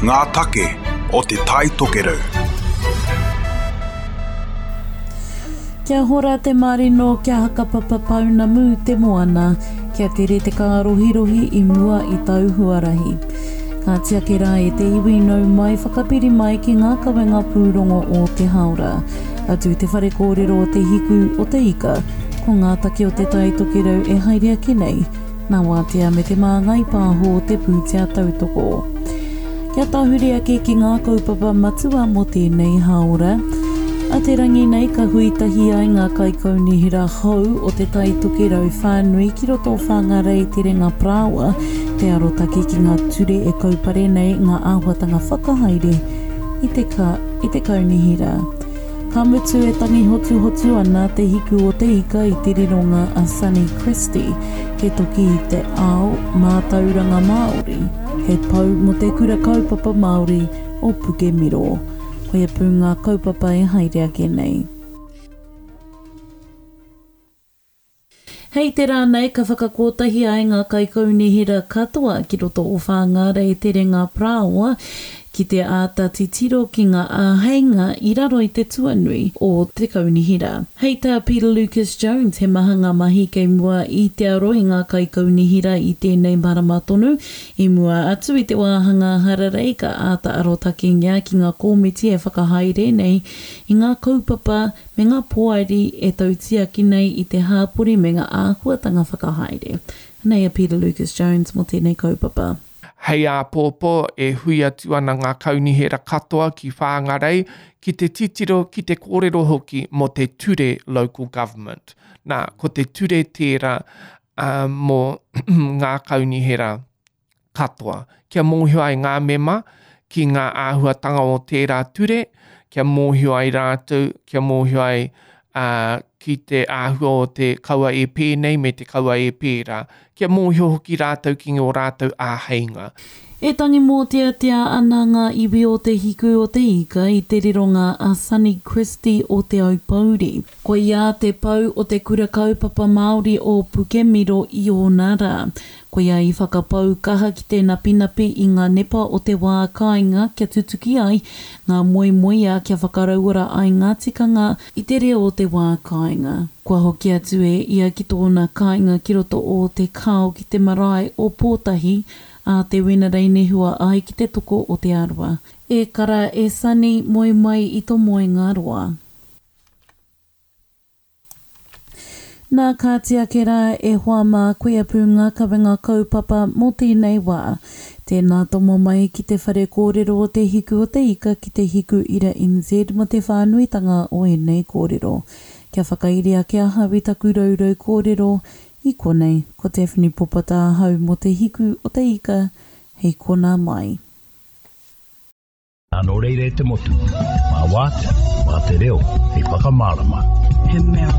Ngā take o Te Tai Tokerau. Kia hora te marino, kia hakapapa pounamu te moana, kia tere te kārohirohi i mua i tau huarahi. Ka tiaki rā e te iwi nau mai whakapiri mai ki ngā kawenga pūrongo o te hāora. Atu i te whare kōrero o Te Hiku o te Ika, ko ngā take o Te Tai Tokerau e haere ake nei, nā Wātea me Te Māngai Pāho o te pūtea tautoko. Kia tahuri ake ki ngā kaupapa matua mō tēnei hāora. A te rangi nei ka hui tahi ai ngā kaikaunihera hou o Te Tai Tokerau whānui ki roto o Whāngārei Terenga Parāoa te arotake ki ngā ture e kaupare nei ngā āhuatanga whakahaere i te ka i te kaunihera. Ka mutu e tangi hotuhotu ana te hiku o te ika i te rironga a Sonny Christie, he toki i te ao mātauranga Māori, he pou mō te Kura Kaupapa Māori o Pukemiro. Koia pū ngā kaupapa e haere ake nei. Hei te rā nei ka whakakotahi ai ngā kaikaunihera katoa ki roto o Whāngārei Terenga Parāoa ki te āta titiro ki ngā āheinga i raro i te tuanui o te kaunihera. Hei tā Peter Lucas Jones he maha ngā mahi kei mua i te aro i ngā kaikaunihera i tēnei marama tonu. I mua atu i te wāhanga hararei ka āta arotakengia ki ngā kōmiti e whakahaere nei i ngā kaupapa me ngā poari e tautiaki nei i te hāpori me ngā āhuatanga whakahaere. Anei a Peter Lucas Jones mō tēnei kaupapa. Hei āpōpō e hui atu ana ngā kaunihera katoa ki Whāngarei ki te titiro, ki te kōrero hoki mō te ture Local Government. Nā, ko te ture tērā mō ngā kaunihera. katoa, kia mōhio ai ngā mema ki ngā āhuatanga o tērā ture, kia mōhio ai rātou, kia mōhio ai uh, ki te āhua o te kaua e pēnei me te kaua e pērā, kia mōhio hoki rātou ki ngō rātou āheinga. E tangi mōteatea ana ngā iwi o Te Hiku o Te Ika i te rironga a Sonny Christie o Te Aupōuri. Koia te pou o te Kura Kaupapa Māori o Pukemiro i ōna rā. Koia i whakapau kaha ki te napinapi i ngā nepa o te wā kāinga kia tutuki ai ngā moemoeā kia whakarauora ai ngā tikanga i te reo o te wā kāinga. Kua hoki atu e ia ki tōna kāinga ki roto o Te Kao ki te marae o Pōtahi ā te Wenerei nehua ai ki te toko o Te Arawa. E kara, e Sonny, moe mai i to moenga roa. Nā, kāti ake rā e hoa mā, koia pū ngā kawenga kaupapa mō tēnei wā. Tēnā tomo mai ki te whare kōrero o Te Hiku o te Ika ki te Hiku Ira NZ mō te whānuitanga o ēnei kōrero. Kia whakairi ake ahau i taku rourou kōrero i konei, ko Daphne Popata ahau mō Te Hiku o te Ika, hei konā mai. Nā, nō reira e te motu, mā Wātea, mā te reo, hei whakamārama. He mea.